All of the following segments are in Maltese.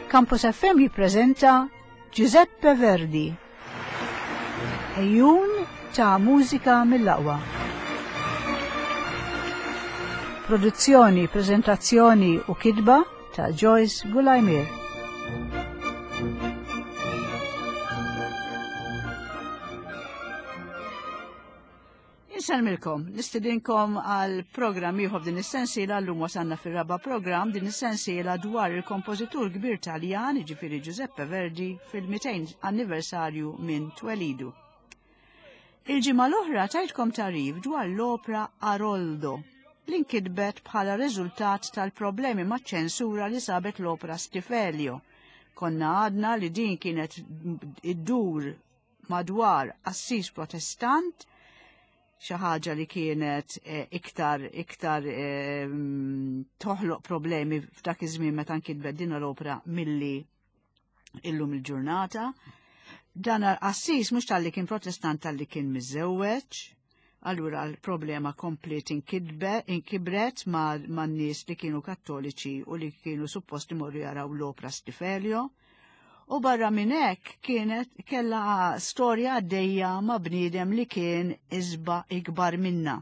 Campus FM jippreżenta Giuseppe Verdi. Ejjun ta' mużika mill-aqwa. Produzzjoni, prezentazzjoni u kitba ta' Joyce Gulajmir. Insellmilkom, nistidinkom għal programm ieħor din is-sensiela llum wasalna fir-raba' programm din is-sensiela dwar il-kompożitur kbir Taljan, jiġifieri Giuseppe Verdi, fil-200 anniversarju minn twelidu. Il-ġimgħa l-oħra tajtkom tarif dwar l-opra Aroldo li nkitbet bħala riżultat tal-problemi maċ-ċensura li sabet l-opra Stifelio. Konna għadna li din kienet iddur madwar qassis protestant, xi ħaġa li kienet eh, iktar iktar eh, toħloq problemi f'dak iż-żmien meta nkitbet din l-opra milli illum il-ġurnata. Dan qassis mhux talli kien protestant talli kien miżewweġ, allura l-problema kompliet inkibret ma' nies li kienu kattoliċi u li kienu suppost imorru jaraw l-opra Stifelio. U barra minn hekk kienet kellha storja għaddejja ma' bniedem li kien iżba ikbar minna.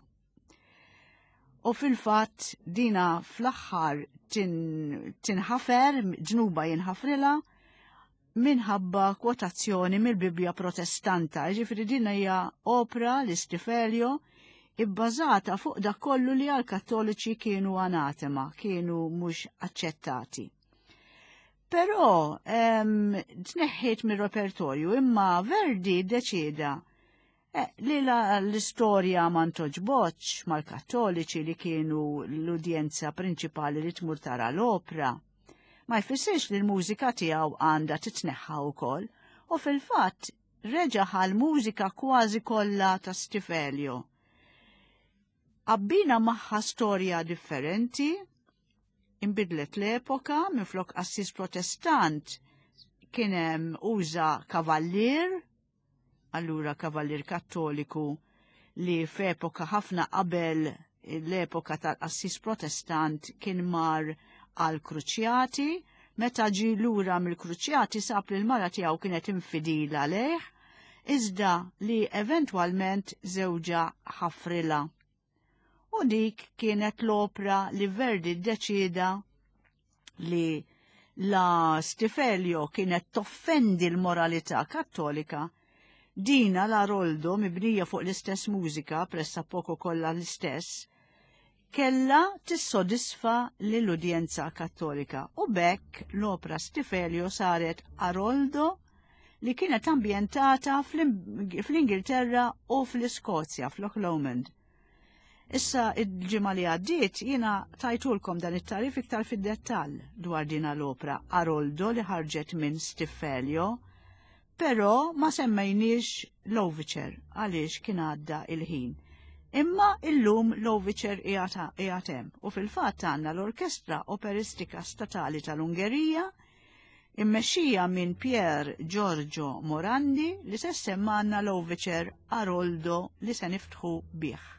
U fil-fatt dina fl-aħħar tinħafer, ġnuba jinħafrilha, minħabba kwotazzjoni mill-Bibbja Protestanta. Ġifieri din hija opra li Stifelio ibbażata fuq dak kollu li għal-Kattoliċi kienu anatema, kienu mhux aċċettati. Però tneħħiet mir-repertorju imma Verdi ddeċieda eh, li l-istorja ma ntoġbotx mal-Kattoliċi li kienu l-udjenza prinċipali li tmur tara l-opra. Ma jfissirx li l-mużika tiegħu għandha titneħħa wkoll u fil-fatt reġa' ħal mużika kważi kollha ta' Stifelio. Abbina magħha storja differenti, inbidlet l-epoka, minflok qassis protestant kien hemm uża kavallier, allura kavallier kattoliku li f'epoka ħafna qabel l-epoka tal-qassis protestant kien mar għal kruċjati, meta ġi lura mill-kruċjati sab li l-mara tiegħu kienet infidila lejh, iżda li eventwalment żewġha ħafrilha. U dik kienet l-opra li Verdi ddeċieda li la Stifelio kienet toffendi l-moralità kattolika, dina l-Aroldo mibnija fuq l-istess mużika, pressa poco kollha l-istess, kellha tissodisfa lill-udjenza Kattolika u b'hekk l-opra Stifelio saret Aroldo li kienet ambjentata fl-Ingilterra u fl-Iskozja, f'Loch Lomond. Issa il-ġimgħa li għaddiet jiena tajtulkom dan it-tarif iktar fid-dettall dwar din l-opra Aroldo li ħarġet minn Stifelio Però ma semmejniex l-Overture għaliex kien għadda il-ħin. Imma illum l-Overture qiegħed hemm u fil-fatt għandna l-Orkestra Operistika Statali tal-Ungerija immexxija minn Pier Giorgio Morandi li se semmgħalna l-Overture Aroldo li se niftħu bih.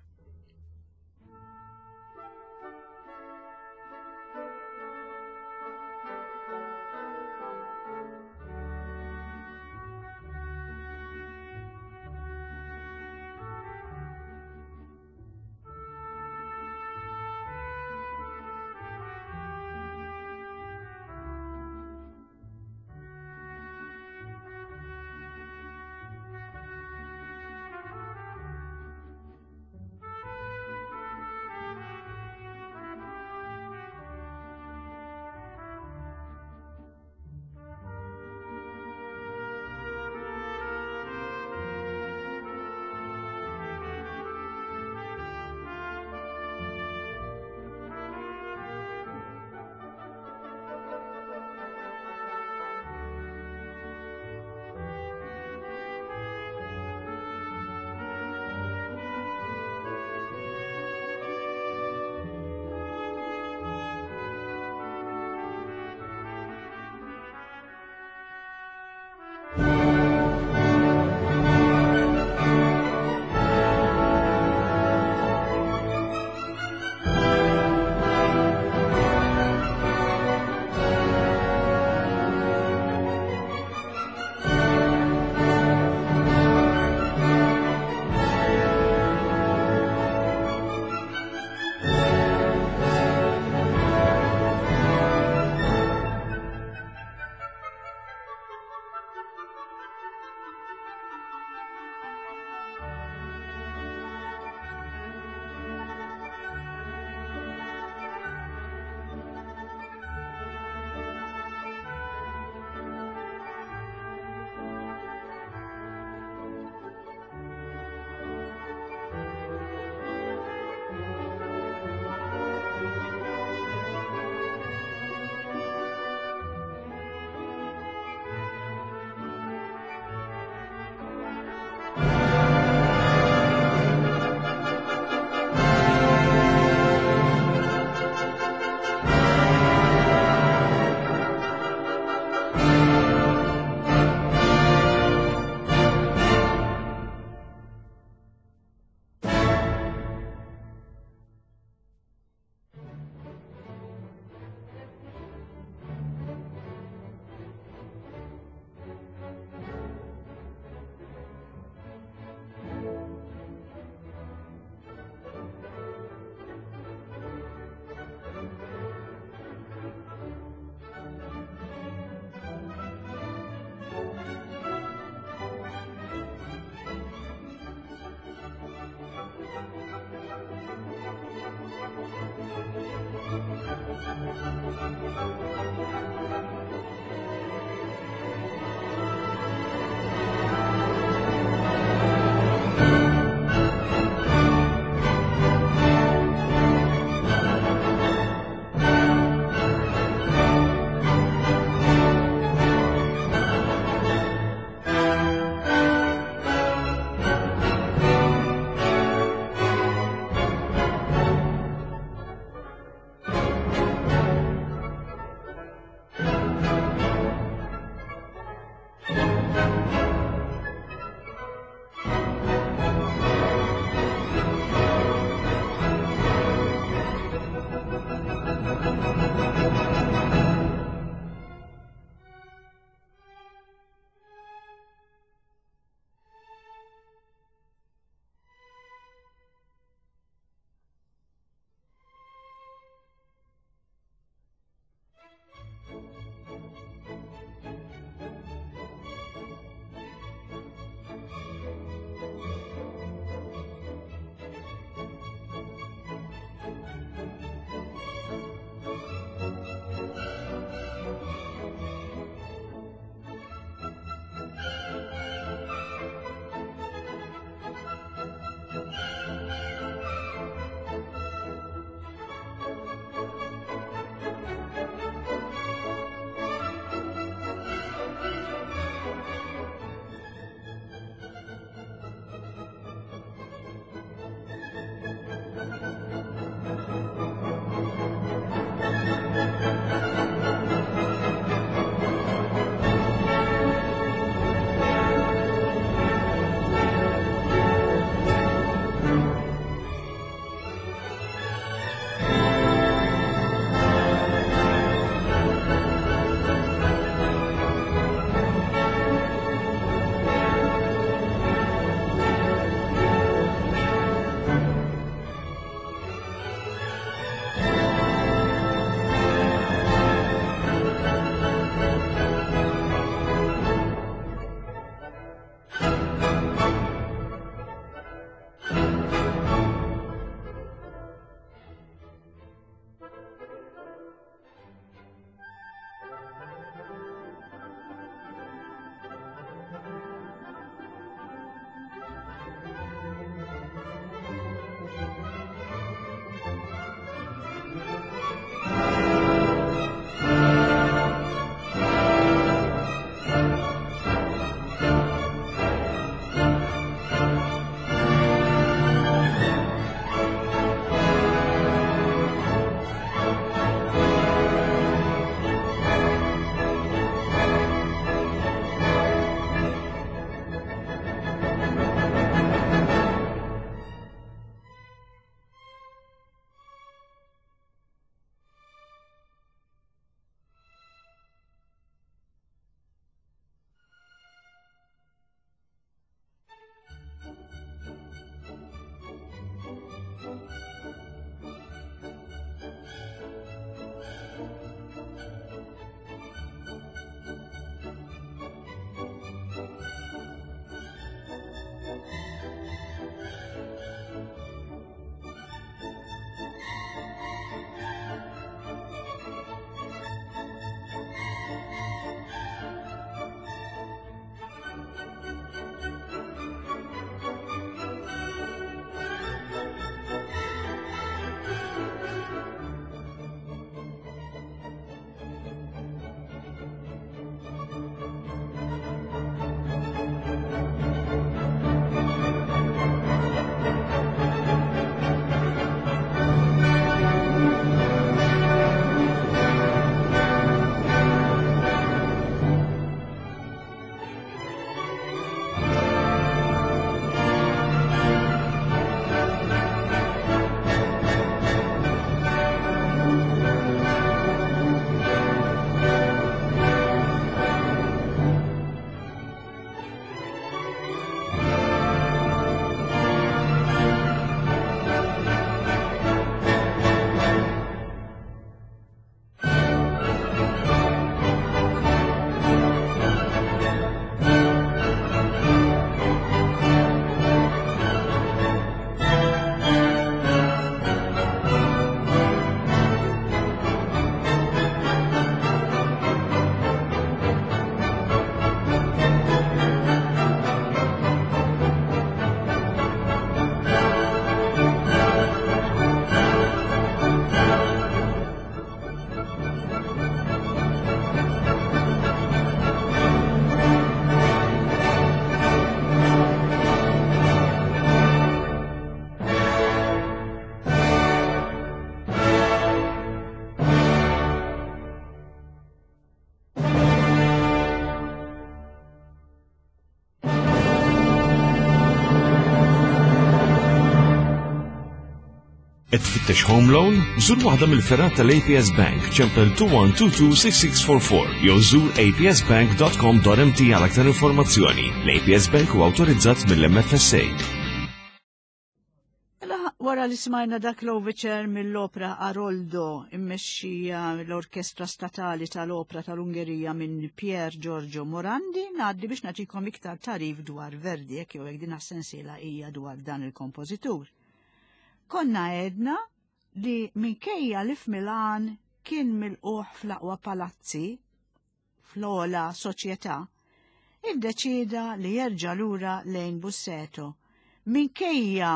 Qed tfittex home loan? Żur waħda mill-fergħat tal-APS Bank, ċempel 21226644 jew żur apsbank.com.mt għal aktar informazzjoni. L-APS Bank huwa awtorizzat mill-MFSA. Mela, wara li smajna dak l-overture mill-opra Aroldo immexxija l-Orkestra Statali tal-Opra tal-Ungerija minn Pier Giorgio Morandi, ngħaddi biex nagħtikom iktar tarif dwar Verdi jekk jew hekk din sensiela hija dwar dan il-kompożitur. Konna għedna li minkejja li f'Milan kien milquh fl-aqwa palazzi, fl-ogħla soċjetà, iddeċieda li jerġa' lura lejn Busseto. Minkejja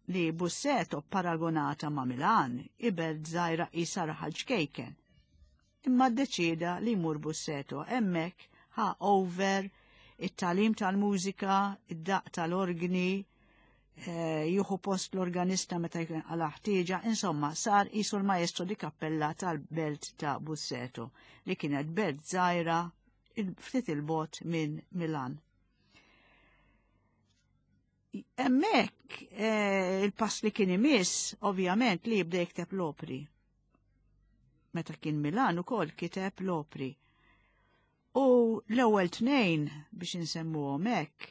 li Busseto paragonata ma' Milan, ibelt żgħira qisha raħal ċkejken. Imma ddeċieda li jmur Busseto hemmhekk ħa over it-tagħlim tal-mużika, id-daqq tal-orgni, eh, jieħu post l-organista meta jkun għala ħtieġa, insomma, sar qisu l-maestro di kappella tal-belt ta' Busseto, li kienet belt żgħira ftit il-bot minn Milan. Hemmhekk eh, il-pass li kien imiss, ovvjament, li jibda jikteb l-opri. Meta kien Milan ukoll kiteb l-opri. U l-ewwel tnejn biex insemmuhom hekk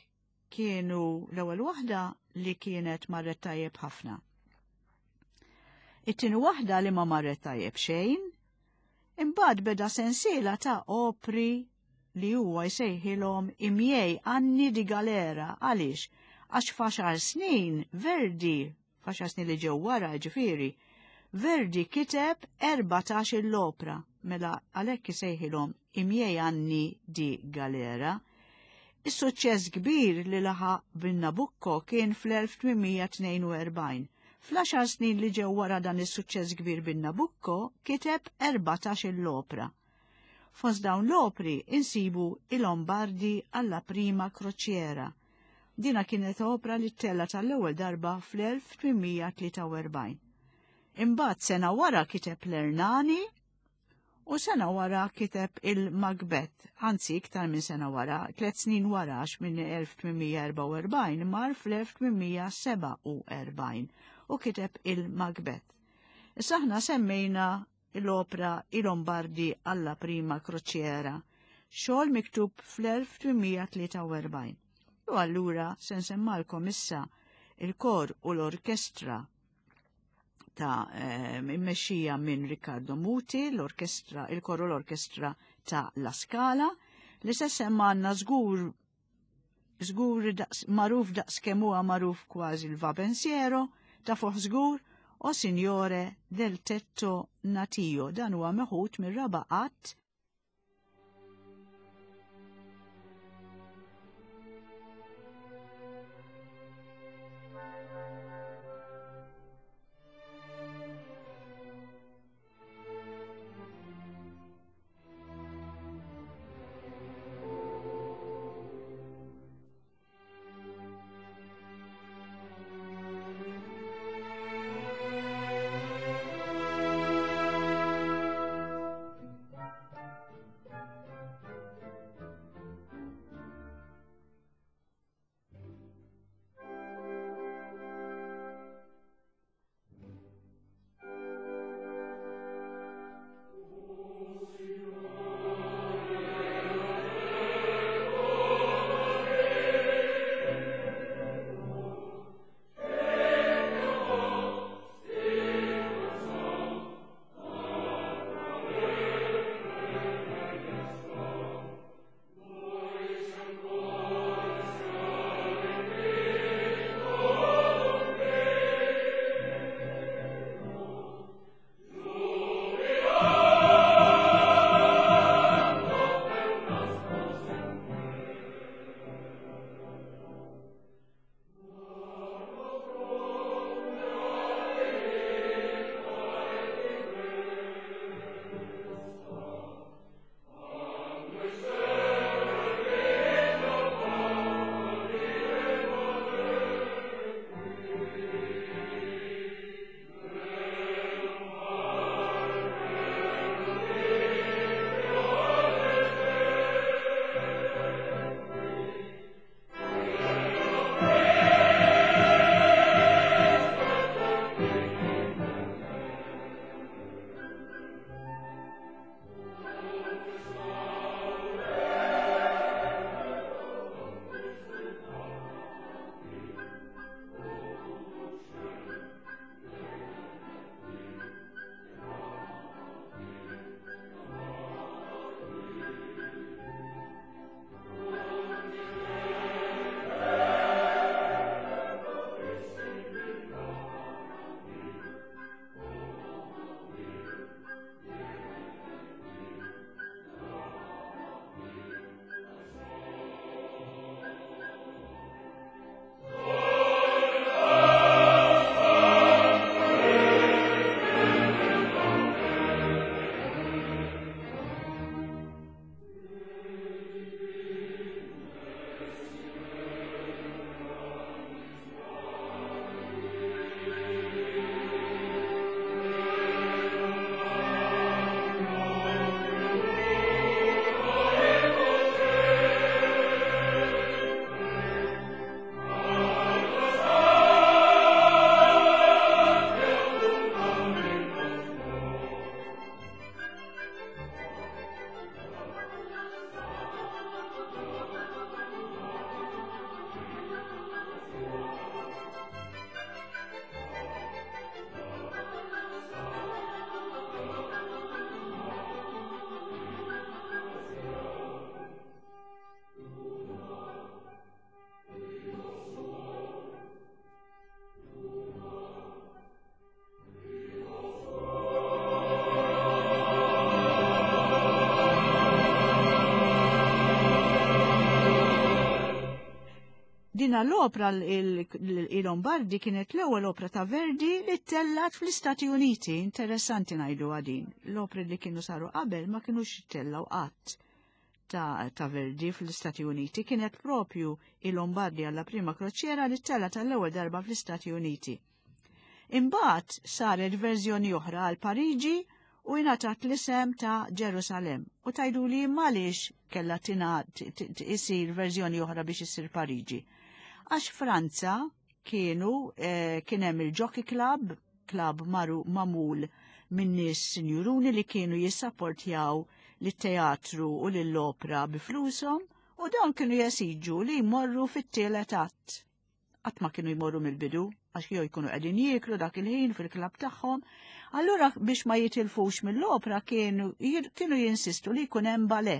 kienu l-ewwel waħda li kienet marret tajjeb ħafna. It-tieni waħda li ma marret tajjeb xejn, imbagħad beda sensiela ta' opri li huwa jsejħilhom imjej anni di galera għaliex għax f'għaxar snin Verdi f'għaxar snin li ġew wara ġifieri, Verdi kiteb 14 l-opra, mela għalhekk isejħilhom I miei anni di galera. Is-suċċess kbir li laħaq bin-Nabucco kien fl-1842. Fl-għaxar snin li ġew wara dan is-suċċess kbir bin-Nabucco kiteb 14 l-opra. Fost dawn l-opri insibu I Lombardi alla prima crociera, Dina kienet opra li ttellgħet għall-ewwel darba fl-1843. Imbagħad sena wara kiteb l-Ernani u sena wara kiteb il-Macbeth, anzi iktar minn sena wara, tliet snin wara għax minn 1844 mar fl-1847 u kiteb il-Macbeth. Issa aħna semmejna l-opra I Lombardi alla prima crociera, xogħol miktub fl-1843. U allura se nsemmalkom issa il-kor u l-orkestra ta' eh, immexxija minn Riccardo Muti, l-orkestra, il-kor u l-orkestra ta' La Scala, li se semmanna żgur żgur daqs magħruf daqs kemm huwa magħruf kważi l-Va Pensiero, ta' fuq żgur, O Signore del Tetto Natio, dan huwa meħud mir-raba' att. Dina l-opra il-Lombardi kienet l-ewwel opra ta' Verdi li tellat fl-Istati Uniti. Interessanti ngħidu għadin. L-opri li kienu saru qabel ma kienux tellaw qatt ta', ta Verdi fl-Istati Uniti. Kienet propju il-Lombardi alla prima kroċiera li tellat għall-ewwel darba fl-Istati Uniti. Imbagħad saret verżjoni oħra għal Pariġi u jingħatat l-isem ta' Ġerusalem. U tajdu li għaliex kellha isir verżjoni oħra biex issir Pariġi. Għax Franza kienu eh, kien hemm il-Jockey Club, club maru mamul minn nies sinjuruni li kienu jissapportjaw lit-teatru u lill-opra bi flushom u dawn kienu jesiġu li jmorru fit-tielet att. Qatt ma kienu jmorru mill-bidu, għax jew jkunu qegħdin jieklu dak il-ħin fil-klabb tagħhom. Allura biex ma jitilfux mill-opra kienu kienu jinsistu li jkun hemm bale.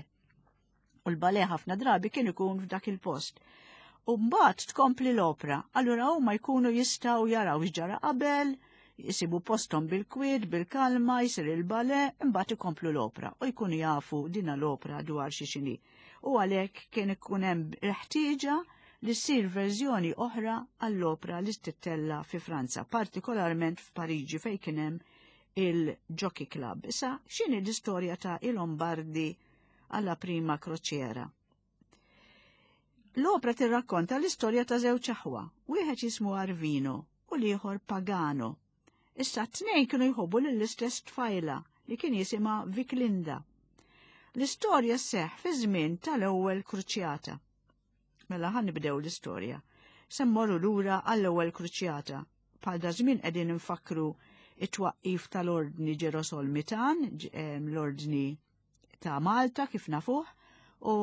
U l-bale ħafna drabi kien ikun f'dak il-post. U mbagħad tkompli l-opra, allura huma jkunu jistgħu jaraw x'ġara qabel, jisibu postom bil-kwiet, bil-kalma, jisir il-bale, imbagħad ikomplu l-opra u jkunu jafu dina l-opra dwar xi xini. U għalhekk kien ikun hemm ħtieġa li ssir verżjoni oħra għall-opra li tittella fi Franza, partikolarment f'Pariġi fejn kien hemm il-Jockey Club. Issa, x'inhi l-istorja ta' il-Lombardi alla prima kroċiera? L-opra tirrakkonta l-istorja ta' żewġ aħwa, wieħed jismu Arvino u l-ieħor Pagano. Issa t-tnejn kienu jħobbu lill-istess tfajla li kien jisimha Viklinda. L-istorja sseħħ fi żmien tal-ewwel kruċjata. Mela ħan nibdew l-istorja. Se mmorru lura għall-ewwel kruċjata. Bħal da żmien qegħdin nfakkru it-twaqqif tal-Ordni Ġerosolmitan, l-Ordni ta' Malta kif nafuh, u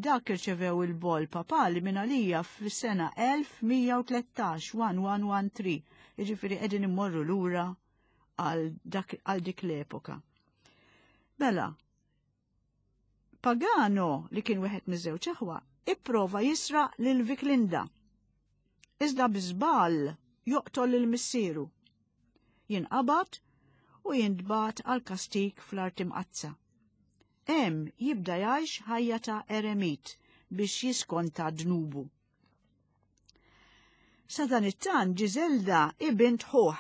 dak irċevew il-boll papali minn għalija fis-sena 1113, 1113, jiġifieri qegħdin immorru lura għal dik l-epoka. Mela, Pagano li kien wieħed miż-żewġ aħwa, ipprova jisraq lil Viklinda. Iżda biżball joqtol lil missieru. Jinqabad u jintbagħat għal kastik fl-Art Imqaddsa. Hemm jibda jgħix ħajja ta' eremit biex jiskonta dnubu. Sa dan it-tant Ġiżelda hi bint ħuh,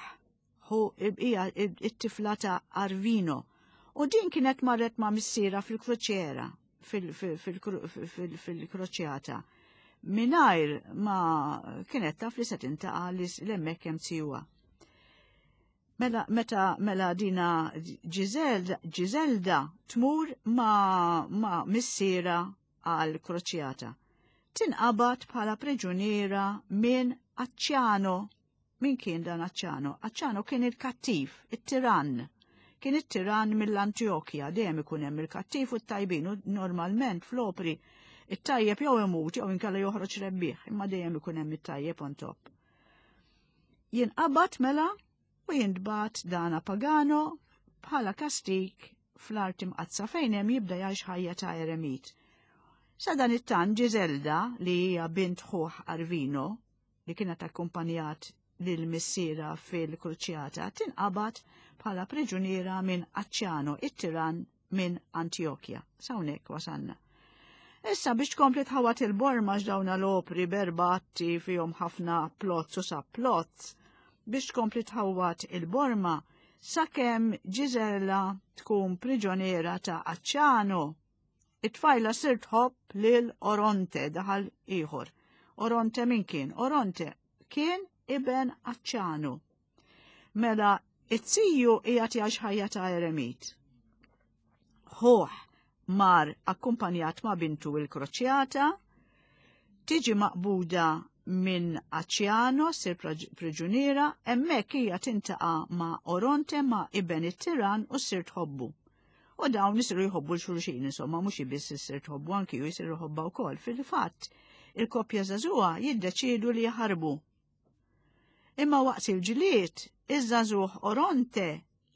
ħu hija it-tifla ta' Arvino, u din kienet marret ma' missiera fil-kruċiera, fil-kroċjata, mingħajr ma kienet taf li se tintaqa' li l-hemmhekk hemm tijuha. Mela, meta mela dina Ġizelda tmur ma, ma missiera għal kroċjata. Tinqabad bħala priġuniera minn Aċċjano. Min kien dan Aċċjano? Aċċjano kien il-kattiv, it-tirann. Kien it-tirann mill-Antjokja, dejjem ikun hemm il-kattiv u t-tajbin u normalment fl-opri it-tajjeb jew imut jew inkella joħroġ rebbieħ, imma dejjem ikun hemm it-tajjeb on top. Jinqabad mela u jintbagħat dana Pagano bħala kastik fl-art imqaddsa fejn hemm jibda jgħix ħajja ta' eremit. Sa dan it-tant Ġiżelda li hija bint ħuh Arvino li kienet akkumpanjat lil missiera fil-kruċjata tinqabad bħala priġuniera minn Aċċjano it-tiran minn Antjokja. Sawnek wasanna. Issa biex tkompli tħawat il-borma x'dawna l-opri berbatti fihom ħafna plots u subplots, biex tkompli tħawat il-borma sakemm Ġiżella tkun priġoniera ta' Aċċano. It-tfajla sir tħobb lil Oronte daħal ieħor. Oronte min kien? Oronte kien iben Aċċanu. Mela, it-tiju qiegħed jgħix ħajja ta' eremit. Ħuh mar akkumpanjat ma' bintu il-kroċjata, tiġi maqbuda minn Aċjano, sir priġuniera, hemmhekk hija tintaqa' ma' Oronte ma' iben it-tiran u ssir tħobbu. U dawn isiru jħobbu l-xulxin, insomma, mhux biss issir tħobbu anki ju jisiru jħobba wkoll. Fil-fatt, il-koppja żagħżugħa jiddeċiedu li jaħarbu Imma waqt il-ġlied, iż-żagħżugħ Oronte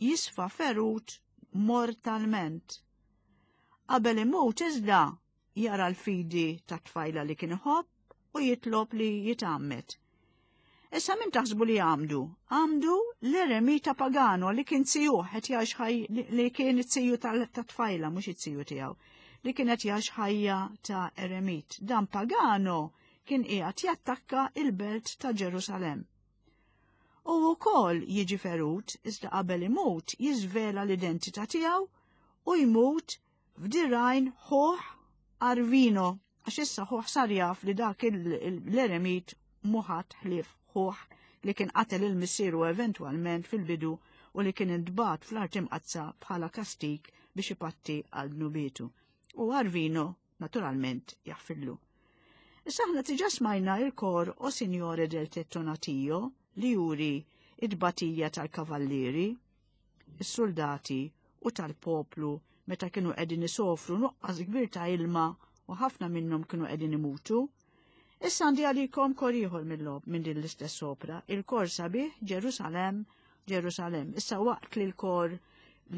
jisfa ferut mortalment. Qabel imut iżda jara l-fidi tat-tfajla li kien iħobb u jitlob li jitgħammed. Issa min taħsbu li għamdu? Għamdu l-eremita Pagano li kien zijuh qed jgħix ħaj li kien it-ziju tat-tfajla mhux it-ziju tiegħu li kien qed jgħix ħajja ta' eremit. Dan Pagano. kien qiegħed jattakka il-belt ta' Ġerusalemm. U wkoll jiġi ferut iżda qabel imut jiżvela l-identità tiegħu u jmut f'dirajn ħuh Arvino għax issa ħuh sar jaf li dak l-eremit muħat ħlief ħuh li kien qatel il-missieru eventwalment fil-bidu u li kien intbagħat fl-art imqaddsa bħala kastik biex ipatti għal dnubietu. U Arvino naturalment jaħfirlu. Issa aħna tiġa smajna il-kor O Signore del Tettonatio li juri id-batija tal-kavallieri, is-soldati u tal-poplu meta kienu qegħdin isofru nuqqas kbir ta' ilma u ħafna minnhom kienu qegħdin imutu. Issa għandi għalikom kor ieħor mill-lob minn din l-istess opra, il-kor sabiħ Ġerusalem, Ġerusalem. Issa waqt li l-kor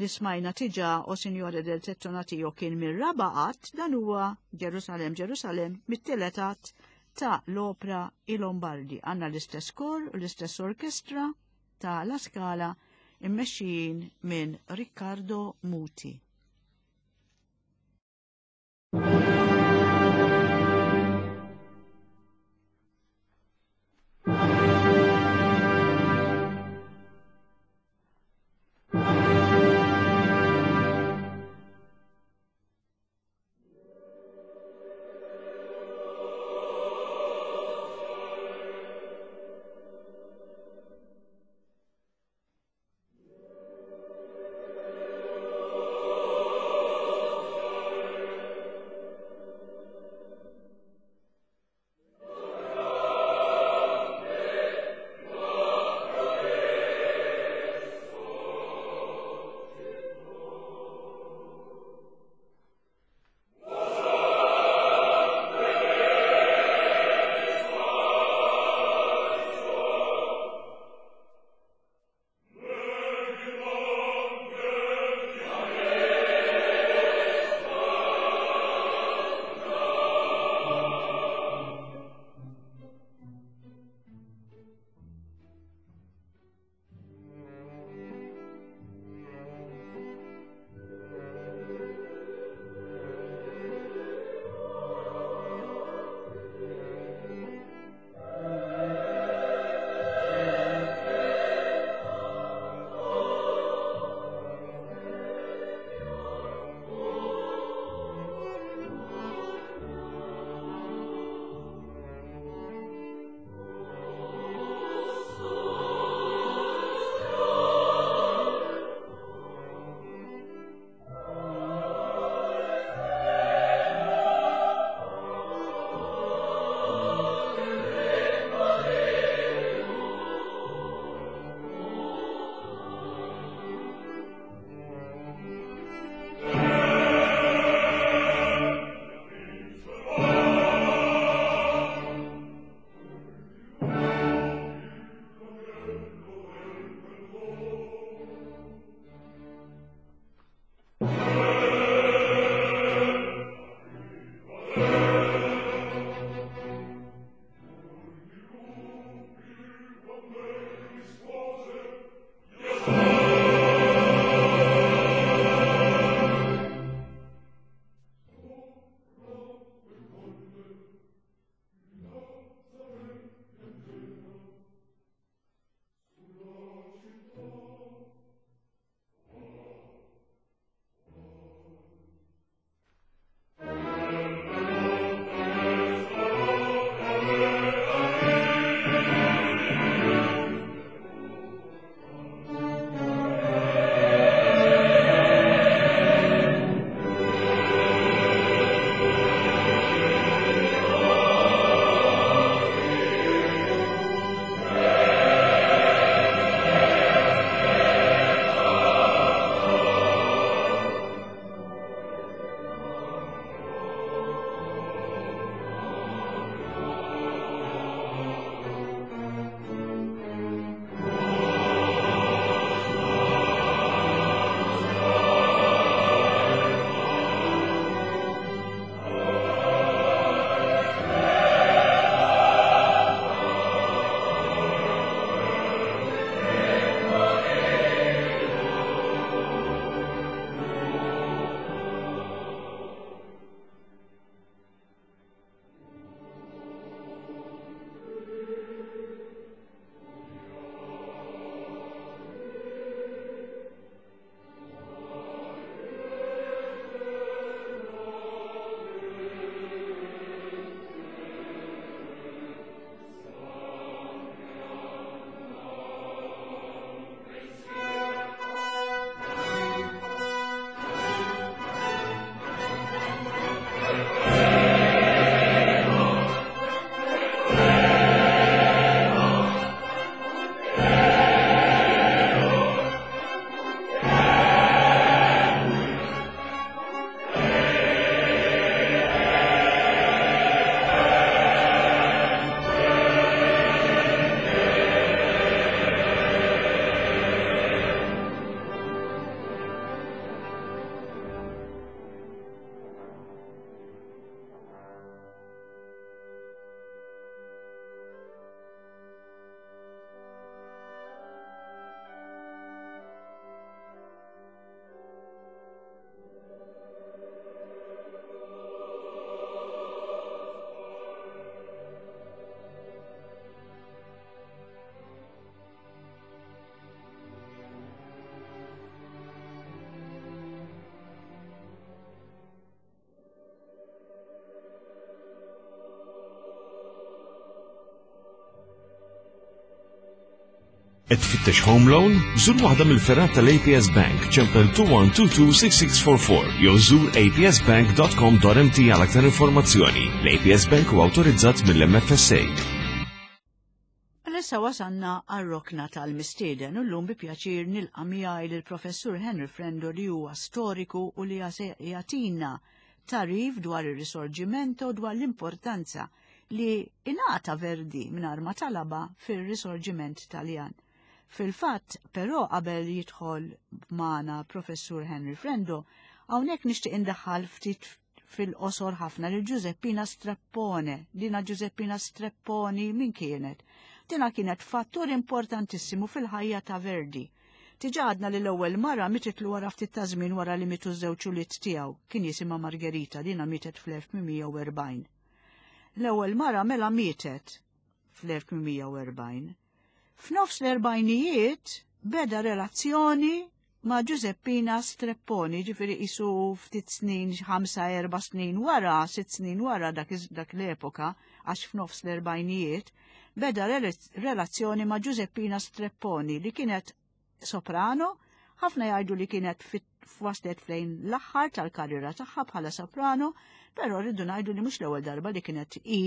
li smajna tiġa o Signore del Tettonatio kien mir-raba' att, dan huwa Ġerusalem, Ġerusalem mit-tielet att ta' l-opra I Lombardi. Għandna l-istess kor u l-istess orkestra ta' La Scala immexxijin minn Riccardo Muti. Qed tfittex home loan? Żur waħda mill-fergħat tal-APS Bank, ċempel 21226644 jew żur apsbank.com.mt għal aktar informazzjoni. L-APS Bank huwa awtorizzat mill-MFSA. Mela issa wasanna għar-rokna tal-mistieden u llum bi pjaċir nilqa' miegħi lill-Professur Henry Frendo li huwa storiku u li jagħtina tagħrif dwar ir-Risorgimento dwar l-importanza li ingħata Verdi mingħajr ma talabha fir-Risorgiment Taljan. Fil-fatt, però qabel jidħol magħna Professur Henry Frendo, hawnhekk nixtieq indaħħal ftit fil-qosor ħafna lil Giuseppina Streppone. Dina Giuseppina Strepponi min kienet? Dina kienet fattur importantissimu fil-ħajja ta' Verdi. Diġà għadna li l-ewwel mara mititlu wara ftit ta' żmien wara li mietu ż-żewġ ulied tiegħu, kien jisimha Margherita, dina mietet fl-1840. L-ewwel mara mela mietet fl-1840. F'nofs l-erbajnijiet beda relazzjoni ma' Giuseppina Strepponi, ġifieri qisu ftit snin, ħamsa erba' snin wara, sitt snin wara dak, dak l-epoka, għax f'nofs l-erbajnijiet, beda relazzjoni ma' Giuseppina Strepponi li kienet soprano, ħafna jgħidu li kienet waslet flejn l-aħħar tal-karriera tagħha bħala soprano, però rridu ngħidu li mhux l-ewwel darba li kienet i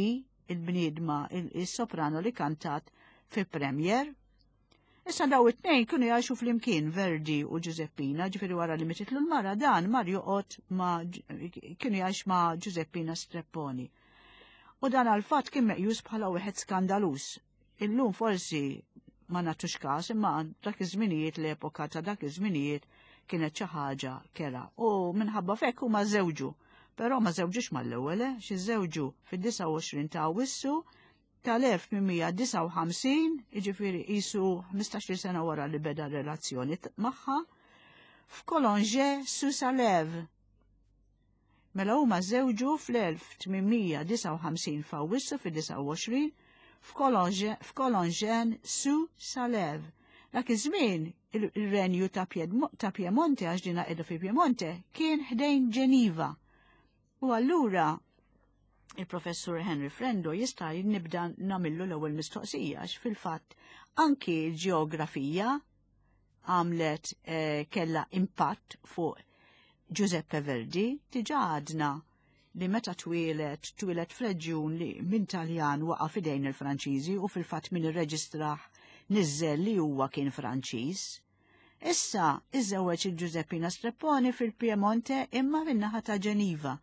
il-bniedma il-soprano li kantat fi premier. Issa daw it-tnejn kienu jgħixu flimkien Verdi u Giuseppina, ġifieri wara li mititlu l-mara dan mar joqgħod ma' kienu jgħix ma' Giuseppina Strepponi. U dan għal-fatt kien meqjus bħala wieħed skandaluż. Illum forsi ma nagħtux każ imma dak iż-żminijiet l-epoka ta' dak iż-żminijiet kienet xi ħaġa kera. U minħabba fekk huma żewġu. Però ma żewġux mal-ewwel, eh, xi żewġu fid-29 ta' Awwissu tal-1859, jiġifieri qisu 15-il sena wara li beda relazzjoni magħha, f'Colonge sous Salève. Mela huma żżewġu fl-1859 f'Awwissu fid-29 f'Colongen sous Salève. Dak iż-żmien ir-renju ta' Piemonte għax dina qiegħda fi Piemonte kien ħdejn Ġeniva. U allura il-professur Henry Frendo jista' nibda nagħmillu l-ewwel mistoqsija għax fil-fatt anki l-ġeografija għamlet eh, kella impatt fuq Giuseppe Verdi, diġà għadna li meta twieled, twieled f'reġjun li minn Taljan waqa' f'idejn il-Franċiżi u fil-fatt min irreġistrah niżżel li huwa kien Franċiż. Issa iżżewweġ il Giuseppina Strepponi fil-Piemonte imma min-naħa ta' Ġeniva.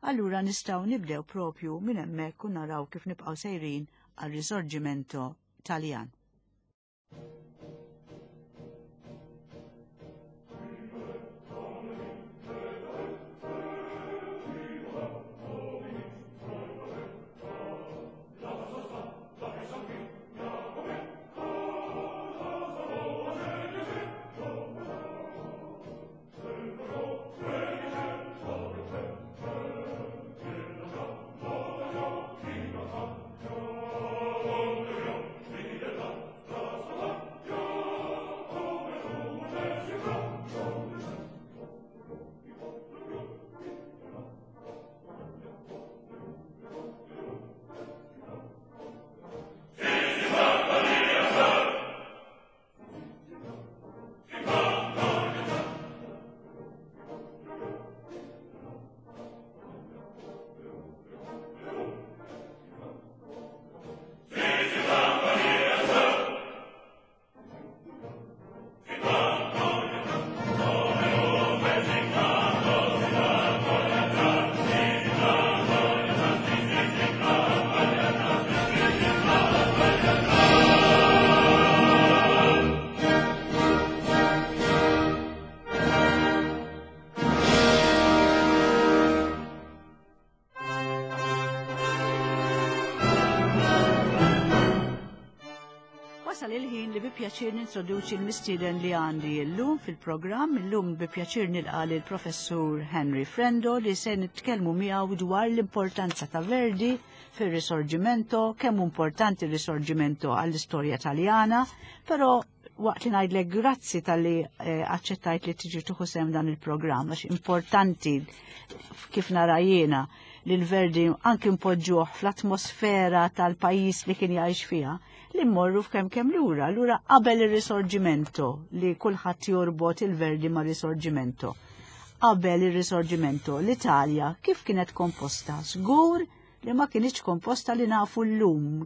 Allura nistgħu nibdew propju minn hemmhekk u naraw kif nibqgħu sejrin għar-Risorgimento Taljan. Wasal il-ħin li bi pjaċir nintroduċi l-mistieden li għandi illum fil-programm. Illum bi pjaċir nilqa' lill-Professur Henry Frendo li se nitkellmu miegħu dwar l-importanza ta' Verdi fir-Risorgimento, kemm importanti r-Risorgimento għall-istorja Taljana, però Waqt li ngħidlek grazzi talli eh, aċċettajt li tiġi tieħu sehem dan il-programm għax importanti kif nara jiena li l-Verdi anki npoġġuh fl-atmosfera tal-pajjiż li kien jgħix fiha, li mmorru f'kemm kemm lura, lura qabel ir-Risorgimento li kulħadd jorbot il-Verdi ma' Risorgimento. Qabel ir-Risorgimento, l-Italja kif kienet komposta? Żgur li ma kinitx komposta li nafu llum,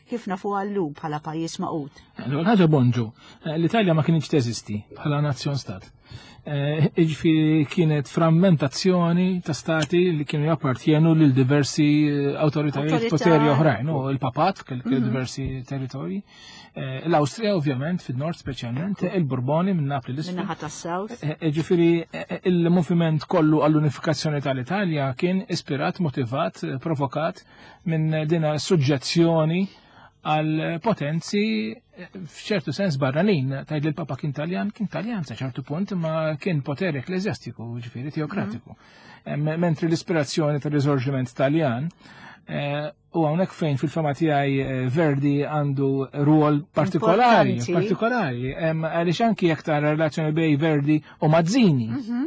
kif nafu llum bħala pajjiż magħqud. L-ewwel ħaġa bonġu, eh, l-Italja ma kinitx teżisti bħala nazzjon stat. Eh, jiġifieri kienet frammentazzjoni ta' stati li kienu jappartjenu lil diversi eh, awtoritajiet poteri oħrajn, u il-papat kellu diversi territorji. Eh, L-Awstrija ovvjament, fil-nord speċjalment, il-Borboni minn Napli l-isfel. Min-naħa tas-South. Eh, eh, ġifieri il-moviment kollu għall-unifikazzjoni tal-Italja kien ispirat, motivat, provokat minn dina suġġezzjoni għal potenzi f'ċertu sens barranin. Tgħid li l-Papa kien Taljan, kien Taljan sa ċertu punt, ma kien poter ekklesjastiku, ġifieri teokratiku. Mhm. Mentri l-ispirazzjoni tal-Risorġiment Taljan U hawnhekk fejn fil-fama tiegħi eh, Verdi għandu rwol partikolari, partikolari, għaliex anki jekk tara relazzjoni bej Verdi u Mazzini. Mhm.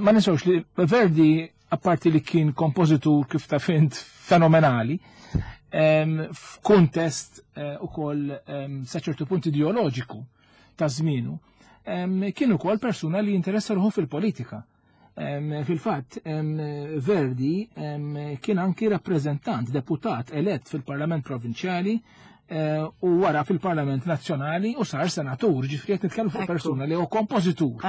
Ma ninsewx li Verdi apparti li kien kompożitur kif ta' fint fenomenali, f'kuntest eh, ukoll sa ċertu punt ideoloġiku ta' żmienu, kien ukoll persuna li jinteressa ruħu fil-politika. Fil-fatt, Verdi kien anki rappreżentant, deputat elett fil-Parlament Provinċjali eh, u wara fil-Parlament Nazzjonali u sar senatur, ġifieri qed nitkellmu fuq persuna li hu kompożitur,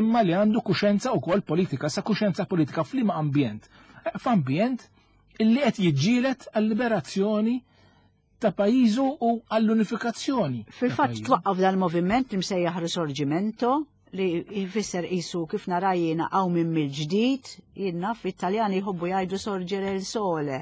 imma li għandu kuxenza wkoll politika, sa kuxenza politika f'liema ambjent. Eh, f'ambjent illi qed jiġġieled għall-liberazzjoni ta' pajjiżu u għall-unifikazzjoni. Fil-fatt twaqqaf dal-moviment li msejjaħ Risorgimento li jfisser qisu kif nara jiena hawn minn mill-ġdid, jien naf it-Taljani jħobbu jgħidu sorgere il sole.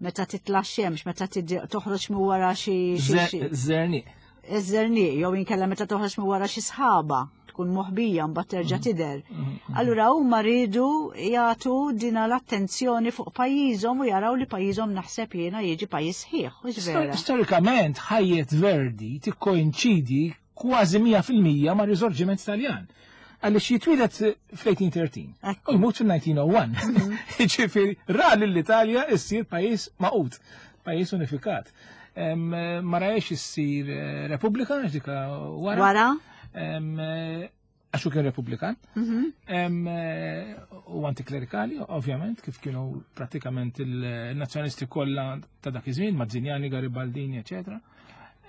Meta titla' xemx, meta toħroġ minn wara xi Żerniq. Iż-żerniq jew inkella meta toħroġ minn wara xi sħaba tkun moħbija mbagħad terġa' mhm. tidher. Mhm, mhm. Allura huma rridu jagħtu dina l-attenzjoni fuq pajjiżhom u jaraw li pajjiżhom naħseb jiena jiġi pajjiż sħiħ, mhux vera. Storikament ħajjet Verdi tikkoinċidi kważi 100% ma' riżorġiment Taljan. Għaliex jitwieled fl-1813 u jmut fil-1901. Ġifieri ra lill-Italja issir pajjiż magħqud, pajjiż unifikat. Ma rajx issir eh, Repubblika, dik wara. Wara? Eh, għax hu kien Repubblikan. Mhm. Eh, u antiklerikali, ovvjament, kif kienu pratikament il-nazzjonisti kollha ta' dak iż-żmien, Mazzinjani, Garibaldini, eċetera.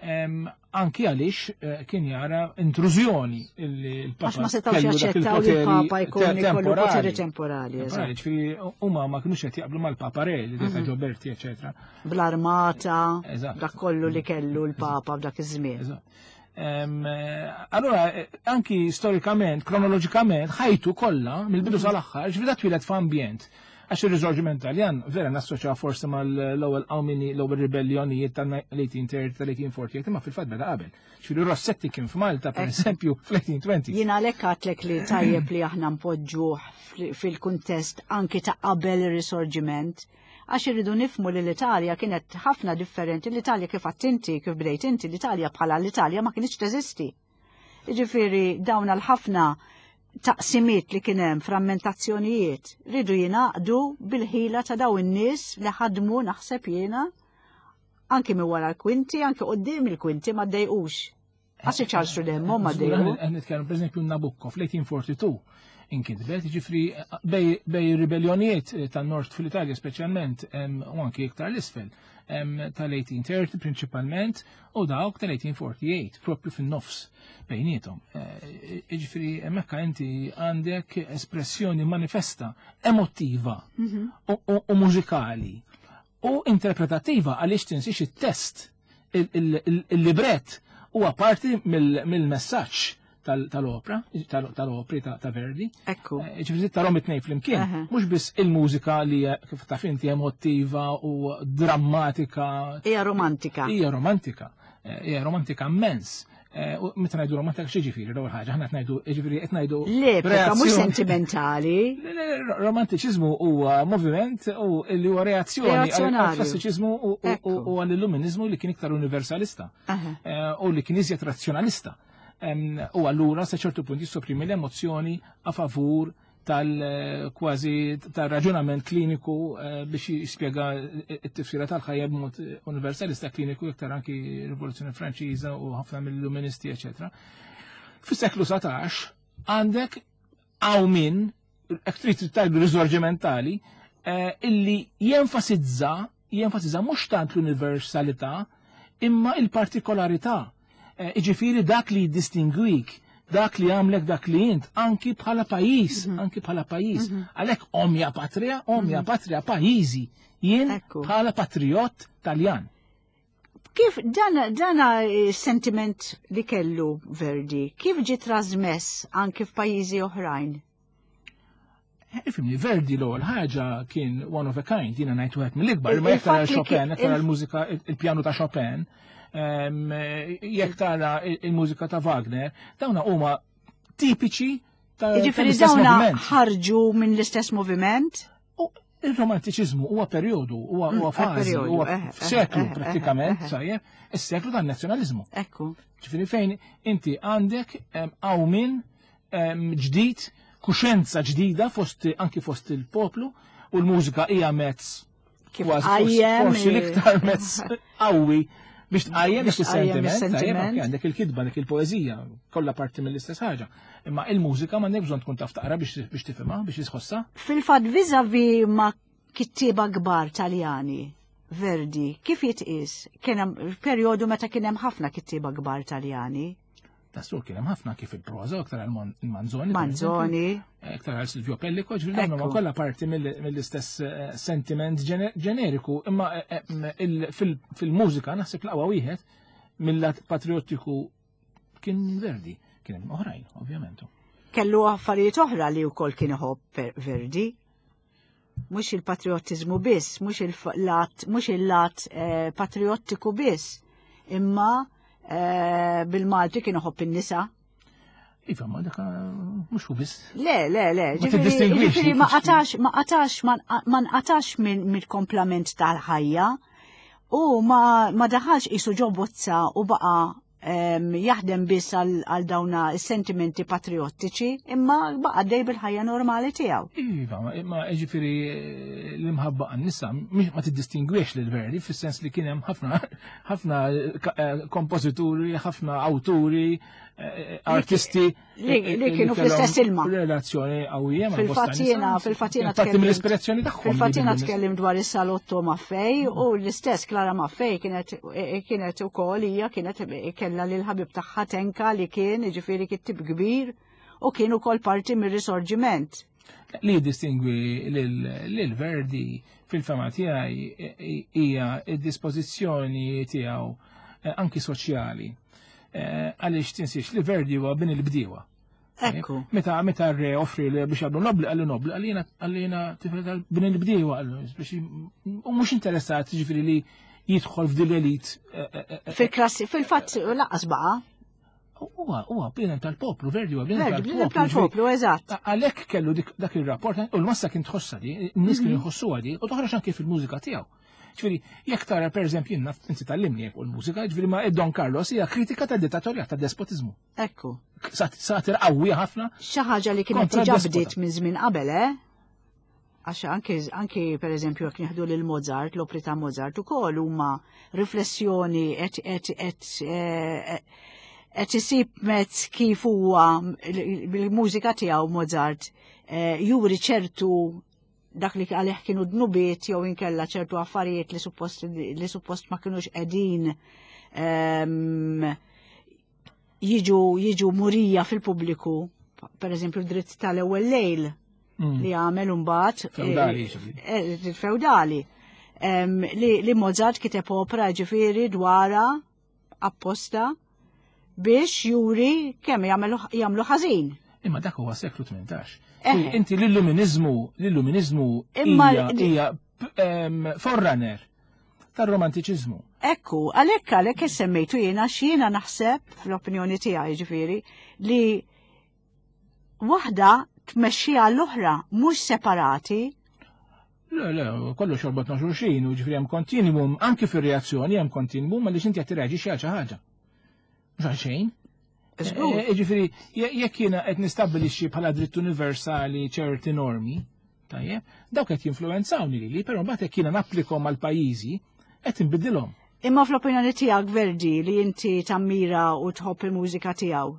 Anki għaliex eh, kien jara intrużjoni il-Papa. Għax ma setgħux jaċċettaw li l-Papa jkun ikollu poteri temporali. Ġifieri huma ma kinux qed jaqblu mal-Papa Re li mm Ġoberti, eċetera. Bl-armata, dak kollu li kellu l-Papa f'dak iż-żmien. Eh, allora, eh, anki storikament, kronoloġikament, ħajtu kollha mill-bidu mhm. sal-aħħar, ġifieri twieled f'ambjent Għax ir-Riżorġiment Taljan vera nassoċjaw forsi mal-ewwel qawmini, l-ewwel ribellionijiet tal-1830 tal-1848, imma fil-fatt beda qabel. Ġifieri Rossetti kien f'Malta pereżempju fl-1820. Jien għalhekk għadtlek li tajjeb li aħna npoġġuh fil-kuntest anki ta' qabel ir-Risorġiment għax irridu nifmu li l-Italja kienet ħafna differenti, l-Italja kif għedt inti, kif bdejt inti, l-Italja bħala l-Italja ma kinitx teżisti. Jiġifieri dawn għal ħafna taqsimiet li kien hemm frammentazzjonijiet ridu jingħaqdu bil-ħila ta' daw in-nies li ħadmu naħseb jiena anki minn wara l-kwinti, anki quddiem il-kwinti ma ddejqux. Għax iċarxu demmu ma ddejqu. Qed nitkellmu pereżempju Nabucco fl-1842 inkitbet, ġifri bej ribellionijiet tan-nord fil-Italja speċjalment u anki iktar l-isfel tal-1830 prinċipalment u dawk tal-1848 propju fin-nofs bejnietom. Eh, jiġifieri hemmhekk inti għandek espressjoni manifesta, emotiva mhm. u mużikali u interpretativa għaliex tinsiex it-test, il-libret huwa parti mill-messaġġ tal-opra, tal-opri ta' Verdi. Ekku. Eh, ġifieri tarhom it-tnejn flimkien, mhux biss il-mużika li kif taf inti emotiva u drammatika. Hija romantika. Hija romantika. Eh, hija romantika immens. Eh, meta ngħidu romantika xi ġifieri l-ewwel ħaġa, aħna qed ngħidu ġifieri qed ngħidu. L-epoka mhux sentimentali. Romantiċiżmu huwa moviment u li huwa reazzjoni għall-klassiċiżmu u għall-illuminizmu li kien iktar universalista eh, u li kien iżjed razzjonalista. U allura sa ċertu punt jissoprimi l-emozzjoni a favur tal-kważi tal-raġunament kliniku eh, biex jispjega t-tifsira tal-ħajja b'mod universalista kliniku iktar anki rivoluzzjoni Franċiża u ħafna mill-illuministi, eċetera. Fis-seklu 19 għandek għaw min, trid tajdu risorġimentali, eh, illi jenfasizza jenfasizza mhux tant l-universalità imma il-partikolarità. Eh, iġifieri dak li jiddistingwik dak li għamlek dak li int, anki bħala pajjiż, mhm. anki bħala pajjiż. Mhm. Għalhekk o mia patria, o mia mhm. patria pajjiżi, jien bħala patriot Taljan. Kif dan dana sentiment li kellu Verdi, kif ġi trasmess anki f'pajjiżi oħrajn? Ifhimni, Verdi l-ewwel ħaġa kien one of a kind, jiena ngħid wieħed mill-ikbar, imma jekk tara Chopin, jekk tara l-mużika il-pjanu ta' Chopin, jekk tara il-mużika ta' Wagner, dawna huma tipiċi ta' Jiġifieri dawna ħarġu minn l-istess moviment? Il-romantiċiżmu huwa perjodu, huwa mm, fażi, huwa eh, eh, seklu eh, prattikament, sajjeb, is-seklu tan-nazzjonaliżmu. Ekku. Ġifieri fejn inti għandek qawmin ġdid, kuxenza ġdida fost anki fost il-poplu u l-mużika hija mezz kif forsi l-iktar mezz qawwi biex tqajjem is-sentiment, għandek il-kitba, għandek il-poeżija, kollha parti mill-istess ħaġa. Imma il-mużika m'għandek bżonn tkun taf taqra biex tifhimha, biex tħossha. Fil-fatt vis-à-vis ma' kittieba kbar Taljani, Verdi, kif jitqies? Kien hemm perjodu meta kien hemm ħafna kittieba kbar Taljani. Tassu kien hemm ħafna kif il-proża, aktar għal Manzoni. Manzoni. Aktar għal Silvio Pellico, ġifieri dawn huma kollha parti mill-istess eh, sentiment ġeneriku, imma eh, eh, fil-mużika naħseb l-aqwa wieħed mill-lat patriottiku kien Verdi, kien hemm oħrajn, ovvjament. Kellu affarijiet oħra li wkoll kien iħobb Verdi. Mhux il-patriottiżmu biss, mhux il-lat, mhux il-lat patriottiku biss, imma Eh, bil-Malti kien iħobb in-nisa. Iva, ma dak mhux hu biss. Le, le, le. Ġifieri ma qatax, ma qatax, ma nqatax mill-komplament tal-ħajja u ma daħalx qisu ġo bozza u baqa' jaħdem biss għal dawna sentimenti patriottiċi, imma baqa' dej bil-ħajja normali tiegħu. Iva, imma ġifieri l-imħabba għan-nisa ma tiddistingwix lil Verdi fis-sens li kien hemm ħafna ħafna eh, kompożituri, ħafna awturi, eh, artisti li eh, kienu fl-istess ilma. Relazzjoni qawwija ma' Fil-fatt jiena, fil-fatt jiena Parti mill-ispirazzjoni tagħhom. Fil-fatt jiena tkellim dwar is-salotto Maffei u l-istess Clara Maffei kienet kienet ukoll hija kienet kellha lil ħabib tagħha Tenka li kien jiġifieri kittib kbir u kien ukoll parti mir-risorġiment. Li jiddistingwi lil Verdi fil-fema tiegħi hija d-dispożizzjoni tiegħu eh, anki soċjali. Eh, għaliex tinsiex li Verdi huwa bin il-bdiewa. Ekku. Meta meta r-re offri li biex għaddu nobli għallu nobli għalina għalina tifel bin il-bdiewa għallu biex u mhux interessat ġifieri li jidħol f'dil elit. Eh, Fil-klassi, fil-fatt laqas baqa'. Huwa huwa bniedem tal-poplu, Verdi huwa bniedem tal-poplu. Tal-poplu, eżatt. Għalhekk kellu dak ir-rapport u l-massa kien tħossha di, n-nies kienu mhm. jħossuha di, u toħroġ anke fil-mużika tiegħu. Ġifieri, jekk tara pereżempju jien naf inti tallimni jekk l-mużika, ġifieri ma Don Carlos hija kritika tad-dittatorjat tad-despotizmu. Ekku. Satir qawwi ħafna. Xi ħaġa li kienet diġà bdiet minn żmien qabel, eh? Għax anki, anki per eżempju jekk nieħdu lil Mozart, l-opri ta' Mozart ukoll huma riflessjoni qed qed qed eh, qed isib mezz kif huwa bil-mużika tiegħu Mozart eh, juri ċertu dak li għalih kienu dnubiet jew inkella ċertu affarijiet li suppost li suppost ma kinux qegħdin ehm, jiġu jiġu murija fil-pubbliku, per eżempju dritt tal-ewwel lejl mm. li għamel imbagħad eh, feudali. Eh, feudali. Li, li Mozart kiteb opera ġifieri dwara apposta biex juri kemm jagħmlu ħażin. Imma dak huwa seklu 18. Inti l-illuminizmu, l-illuminizmu hija forerunner. tar-romantiċiżmu. Ekku, għalhekk għalhekk semmejtu jiena x'jiena naħseb fl-opinjoni tiegħi ġifieri li waħda tmexxi għall-oħra mhux separati. Le, le, kollox jorbot ma' xulxin, u ġifieri hemm kontinwum, anki fir-reazzjoni hemm kontinwum għaliex inti qed tirreaġixxi għal xi ħaġa. Mhux għal xejn. Eh, ġifieri, jekk jiena qed nistabbilixxi bħala dritt universali ċerti normi, tajjeb, dawk qed jinfluwenzawni lili, però mbagħad jekk jiena napplikhom għal pajjiżi, qed inbiddilhom. Imma fl-opinjoni tiegħek Verdi li inti tammira u tħobb il-mużika tiegħu,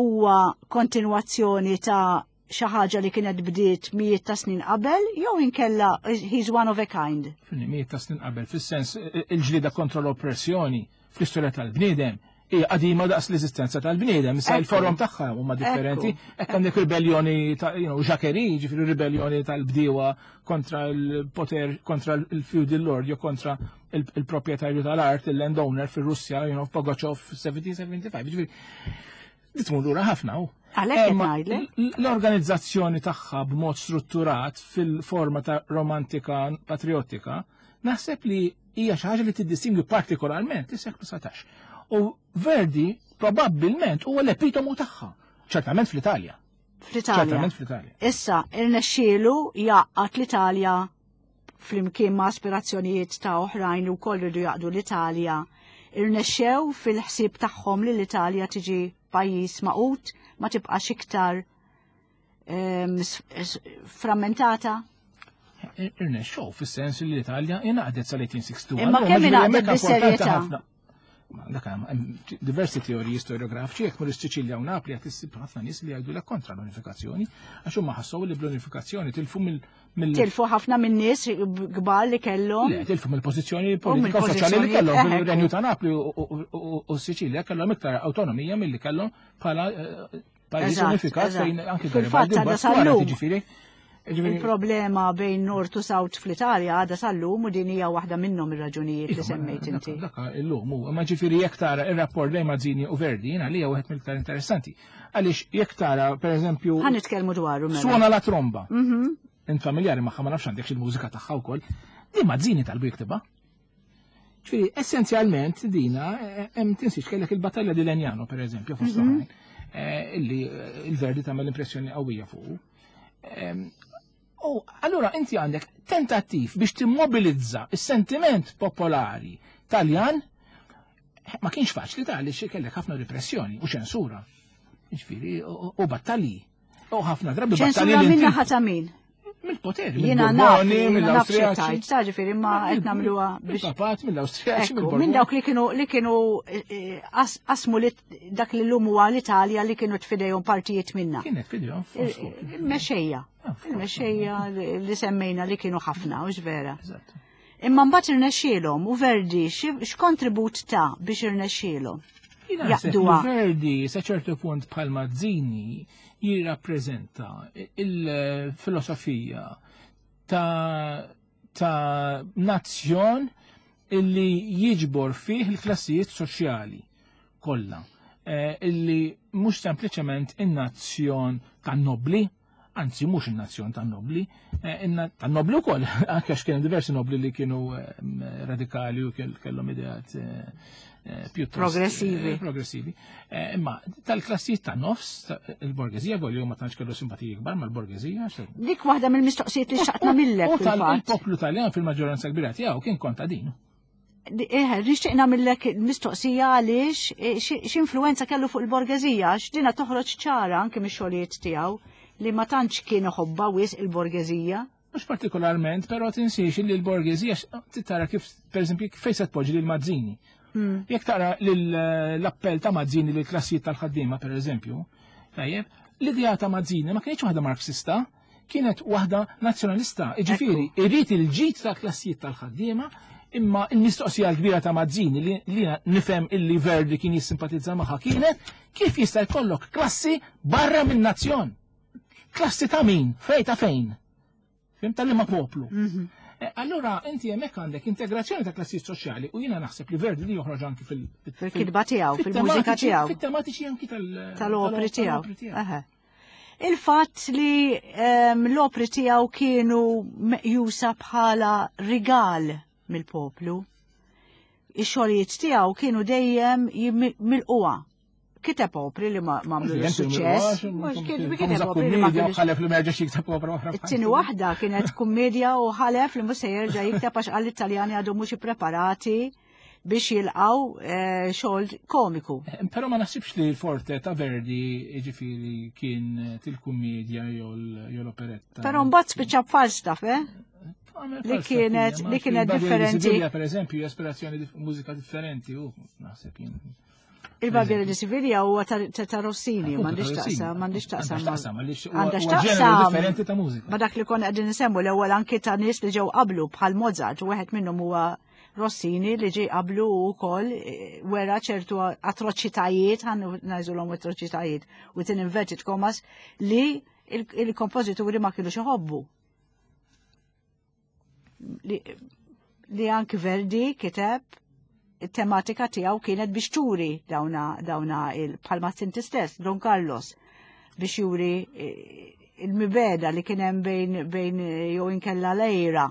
huwa kontinwazzjoni ta' xi ħaġa li kienet bdiet mijiet ta' snin qabel jew inkella he's one of a kind. Mijiet ta' snin qabel, fis-sens il-ġlieda kontra l-oppressjoni fl-istorja tal-bniedem hija qadima daqs l-eżistenza tal-bniedem, issa il-forom tagħha huma differenti. Hekk għandek ribellioni ta' you know, Jacquerie, ġifieri ribellioni tal-bdiewa kontra l-poter, kontra l-feudal lord, jew kontra il-proprjetarju tal-art, il-landowner fir-Russja, you know, Pogachov 1775. Ġifieri, di tmur lura ħafna u. Għalhekk L-organizzazzjoni tagħha b'mod strutturat fil-forma ta' romantika patriottika, naħseb li hija xi ħaġa li tiddistingwi partikolarment is-seklu 19. U Verdi probabbilment huwa l-epitomu tagħha, ċertament fl-Italja. Fl-Italja. Ċertament fl-Italja. Issa, irnexxielu jgħaqqad l-Italja flimkien ma' aspirazzjonijiet ta' oħrajn li wkoll ridu jaqdu l-Italja, irnexxew fil-ħsieb tagħhom li l-Italja tiġi pajjiż magħqud ma tibqax iktar ehm, frammentata? Irnexxew fis-sens li l-Italja ingħaqdet sal-1861. Imma kemm ingħaqdet bis-serjetà? Dak hemm diversi teoriji storiografiċi jekk mur is-Siċilja u Napli qed issib ħafna nies li jgħidu lek kontra l-unifikazzjoni għax huma ħassew li bl-unifikazzjoni tilfu mill Tilfu ħafna minn nies kbar li kellhom. Le, tilfu mill-pożizzjoni politika u soċjali li kellhom fil-Renju ta' Napli u Siċilja kellhom iktar awtonomija milli kellhom bħala eh, pajjiż unifikat fejn anke Garibaldi jiġifieri. Il-problema bejn Nord u South fl-Italja għadha sal-lum u din hija waħda minnhom ir-raġunijiet li semmejt inti. Dak illum hu, imma ġifieri jekk tara ir-rapport bejn Mazzini u Verdi jiena li hija wieħed mill-iktar interessanti. Għaliex jekk tara pereżempju. Ħa nitkellmu dwaru mela. Suona la tromba. Mhm. Int familjari magħha ma nafx għandek il-mużika tagħha wkoll. Din Mazzini talbu jiktibha. Ġifieri essenzjalment dina eh, hemm tinsiex kellek il-battalja di Legnano pereżempju fost mhm. oħrajn eh, illi eh, il-Verdi tagħmel impressjoni qawwija fuq. Ehm, u allura inti għandek tentattiv biex timmobilizza is-sentiment popolari Taljan ma kienx faċli ta' li kellek ħafna repressjoni u ċensura. Ġifieri u battalji. U ħafna drabi battalji. Ċensura minna ħata min? Mill-poter, Jiena naf, mill-Awstrijaċi. Ta' ġifieri ma qed nagħmluha biex. Papat mill-Awstrijaċi, mill Minn dawk li kienu li kienu eh, qasmu li dak li llum huwa l-Italja li kienu tfidejhom partijiet minna. Kienet fidejhom. Eh, eh, mexxejja. Ah, Il-mexxejja li semmejna li kienu ħafna, u vera. Imma mbagħad irnexxielhom u Verdi x'kontribut ta' biex irnexxielhom. Jaqduha. Verdi sa ċertu punt bħal Mazzini jirrappreżenta il-filosofija ta' ta' nazzjon illi jiġbor fih il-klassijiet soċjali kollha. Eh, illi mhux sempliċement in-nazzjon tan-nobli, anzi mhux in-nazzjon tan-nobli, eh, tan-nobli wkoll, anke għax kienu diversi nobli li kienu eh, radikali u kellhom ideat eh, pjuttost progressivi. progressivi. Imma tal-klassijiet ta' nofs, il-borgezija volju ma tantx kellu simpatiji kbar mal-borgezija. Dik waħda mill-mistoqsijiet li xaqtna millek. U tal-poplu Taljan fil-maġġoranza kbira tiegħu kien kontadin. Eh, nixtieq nagħmillek mistoqsija għaliex eh, x'influwenza kellu fuq il-borgeżija għax dina toħroġ ċara anke mix-xogħlijiet tiegħu li ma tantx kien iħobbha wisq il-borgeżija. Mhux partikolarment, però tinsiex li l-borgeżija tara kif pereżempju fejn se tpoġġi lil Mazzini. Hmm. Jekk tara l-appell ta' Mazzini lil klassijiet tal-ħaddiema pereżempju, tajjeb, l-idea ta' Mazzini ma kienx waħda Marxista, kienet waħda nazzjonalista, jiġifieri irid il-ġid tal-klassijiet tal-ħaddiema, imma l-mistoqsija l-kbira ta' Mazzini li nifhem illi Verdi kien jissimpatizza magħha kienet kif jista' jkollok klassi barra minn nazzjon? Klassi ta' min? Fej ta' fejn? Fim ta' liema poplu? Mhm. Eh, allura inti hemmhekk għandek integrazzjoni ta' klassijiet soċjali u jiena naħseb li Verdi li joħroġ anki fil- fil-kitba tiegħu, fil-mużika tiegħu. Fit-tematiċi anki tal-opri tiegħu. Il-fatt li ehm, l-opri tiegħu kienu meqjusa bħala rigal. mill-poplu. Ix-xogħlijiet tiegħu kienu dejjem milquha. Kiteb opri li ma għamlu suċċess. Kiteb opri li ma ħalef li ma jerġax jikteb opra oħra. It-tieni waħda kienet kummedja u ħalef li mhux se jerġa' jikteb għax qal it-Taljani għadhom mhux ippreparati biex jilqaw eh, xogħol komiku. Eh, però ma naħsibx li l-forte ta' Verdi ġifieri kien eh, til-kummedja jew l-operetta. Però mbagħad spiċċa Falstaff, eh? Li kienet li kienet differenti. Per eżempju, esperazzjoni mużika differenti, u naħseb jien. Il-Barbieri di Siviglia huwa ta' Rossini, m'għandix taqsam, m'għandix taqsam. Għandha x'taqsam. Differenti ta' mużika. Ma dak li konna qegħdin nisemmu l-ewwel anki ta' nies li ġew qablu bħal Mozart, u wieħed minnhom huwa Rossini li ġie qablu wkoll eh, wera ċertu atroċitajiet, ħan ngħiżulhom atroċitajiet, within inverted commas, li il-kompożituri ma kienux iħobbu. Li, li anki Verdi kiteb it-tematika tiegħu kienet biex turi dawna dawna il-palma inti stess, Don Carlos, biex juri eh, il-mibeda li kien hemm bejn bejn eh, jew inkella lejra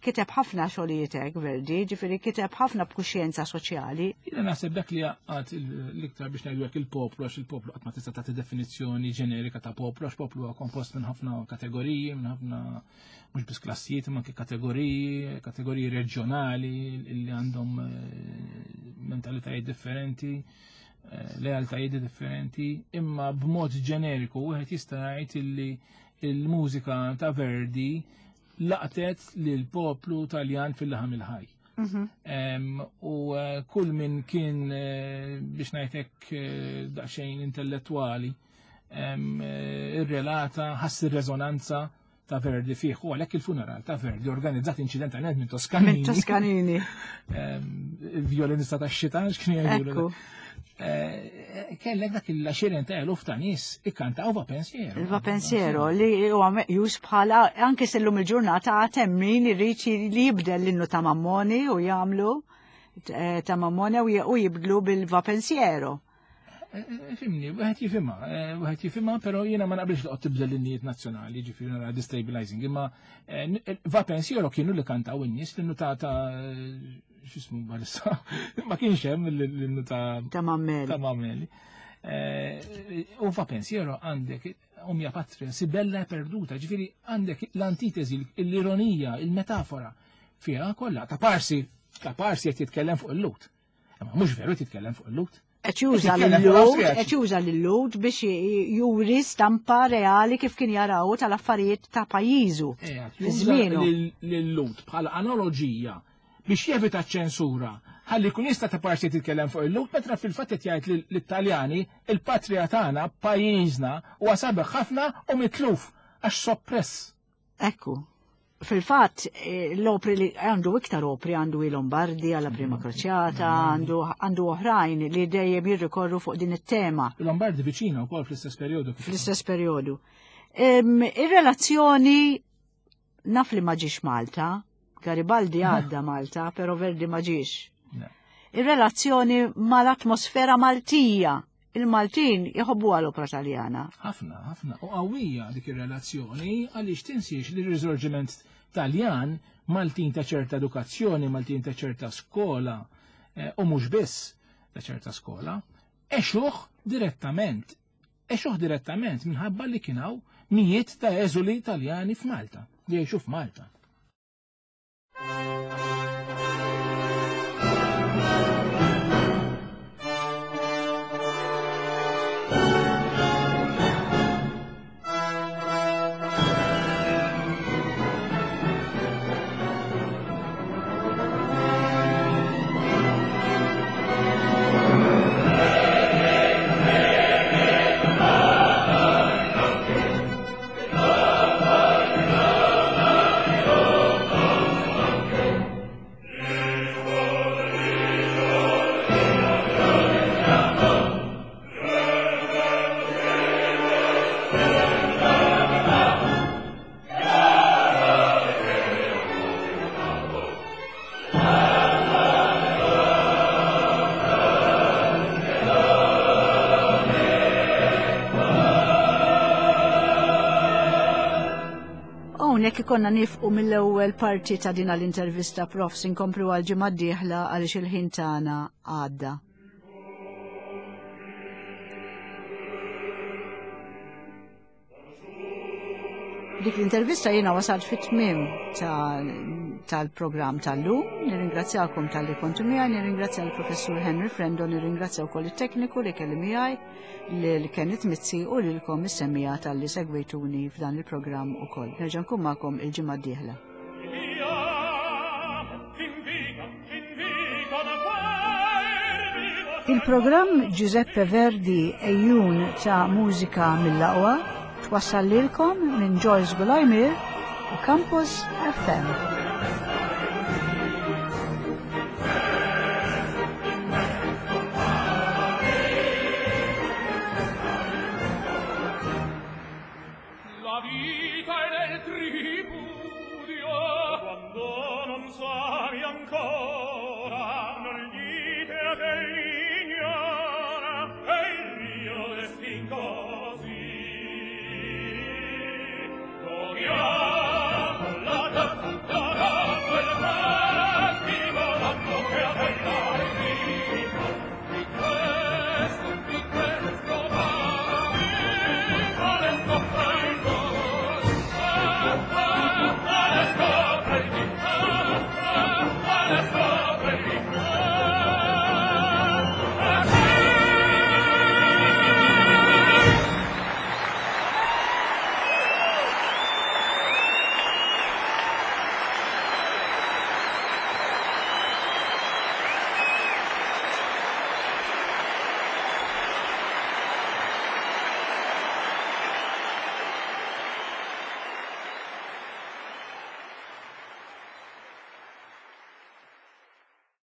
Kiteb ħafna xogħlijiet hekk Verdi, ġifieri kiteb ħafna b'kuxjenza soċjali. Jiena naħseb dak li għad l-iktar biex ngħidu hekk il-poplu għax il-poplu qatt ma tista' tagħti definizzjoni ġenerika ta' poplu għax poplu huwa kompost minn ħafna kategoriji, minn ħafna mhux biss klassijiet imma anke kategoriji, kategoriji reġjonali li għandhom eh, mentalitajiet differenti eh, lealtajiet differenti, imma b'mod ġeneriku wieħed jista' jgħid illi il-mużika ta' Verdi laqtet lil poplu Taljan fil-laħam il-ħaj. Mhm. U eh, kull min kien eh, biex ngħidlek eh, daqsxejn intellettwali irrelata ħass ir-reżonanza ta' Verdi fih u għalhekk il-funeral ta' Verdi organizzat inċidentalment minn Toscanini. Minn Toscanini. Il-violinista ta' xitan x'kien jgħidu. Eh, kellek dak il-għaxieren ta' eluf ta' nies ikkantaw va pensiero. Il-va pensiero li huwa meqjus bħala anke sellum il-ġurnata għad hemm min irid li jibdel l-innu ta' Mammoni u jagħmlu eh, ta' Mammoni u jibdlu bil-va pensiero. Eh, fimni, wieħed jifhimha, wieħed jifhimha, però jiena ma naqbilx li tibdel l-innijiet nazzjonali, ġifieri nara destabilizing, imma va pensiero kienu li kantaw in-nies l-innu ta' xismu balissa, ma kienx hemm l-innu ta' ta' Mammeli. Ta' Mammeli. Eh, u fa' pensiero għandek omja patria, si bella e perduta, ġifiri għandek l-antitesi, l-ironija, il-metafora fiha kollha ta' parsi, ta' parsi qed jitkellem fuq il-lut. Imma mhux veru jitkellem fuq il-lut. Qed juża lil-Lhud, qed juża lil-Lhud biex juri stampa reali kif kien jaraw tal-affarijiet ta' pajjiżu. Fi żmienu. Lil-Lhud bħala analoġija biex jevita ċ-ċensura ħalli jkun jista' ta' parsi jitkellem fuq il-Lhud meta fil-fatt qed jgħid lit-Taljani il-patrija tagħna, pajjiżna huwa sabiħ ħafna u mitluf għax soppress. Ekku. Fil-fatt, eh, l-opri li għandu iktar opri għandu i Lombardi għalla prima kroċjata, għandu għandu oħrajn li dejjem jirrikorru fuq din it-tema. Lombardi viċina wkoll fl-istess perjodu. Fl-istess perjodu. Ir-relazzjoni naf li ma ġiex Malta, Garibaldi għadda Malta, pero Verdi ma ġiex. Ir-relazzjoni mal-atmosfera Maltija Il-Maltin jħobbuha l-opra Taljana. Ħafna, ħafna. U qawwija dik ir-relazzjoni għaliex tinsiex li r-riżorġiment Taljan Maltin ta' ċerta edukazzjoni, Maltin ta' ċerta skola, eh, u mhux biss ta' ċerta skola, għexuh direttament. Għexuh direttament minħabba li kien hawn mijiet ta' eżuli Taljani f'Malta, li jgħixu f'Malta. Hawnhekk ikonna nifqu mill-ewwel parti ta' din l-intervista prof inkomplu għal ġimgħa d-dieħla għaliex il-ħin tagħna għadda. Dik l-intervista jiena wasalt fit-tmiem tal-programm tal-lum. Nirringrazzjakom tal-li kontu miegħi, nirringrazzja l-Professur Henry Frendo, nirringrazzja wkoll it-tekniku li kelli miegħi, lil Kenneth Mizzi u lilkom is-semmija tal-li segwejtuni f'dan il-programm ukoll. Nerġa' nkun magħkom il-ġimgħa d-dieħla. Il-programm Giuseppe Verdi Ejjun ta' Mużika mill-Aqwa twassal lilkom minn Joyce Gulajmir u Campus FM. La vita è nel tripudio quando non sai ancora.